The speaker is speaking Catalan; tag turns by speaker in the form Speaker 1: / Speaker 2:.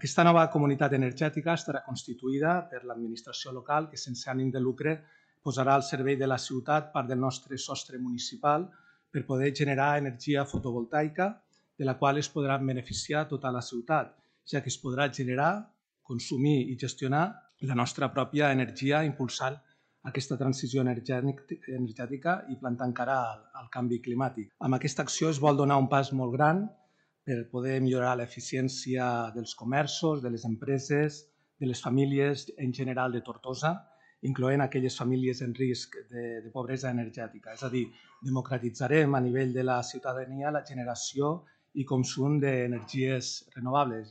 Speaker 1: Aquesta nova comunitat energètica estarà constituïda per l'administració local que sense ànim de lucre posarà al servei de la ciutat part del nostre sostre municipal per poder generar energia fotovoltaica de la qual es podrà beneficiar tota la ciutat, ja que es podrà generar, consumir i gestionar la nostra pròpia energia impulsant aquesta transició energètica i plantant cara al canvi climàtic. Amb aquesta acció es vol donar un pas molt gran per poder millorar l'eficiència dels comerços, de les empreses, de les famílies en general de Tortosa, incloent aquelles famílies en risc de pobresa energètica. És a dir, democratitzarem a nivell de la ciutadania la generació i consum d'energies renovables.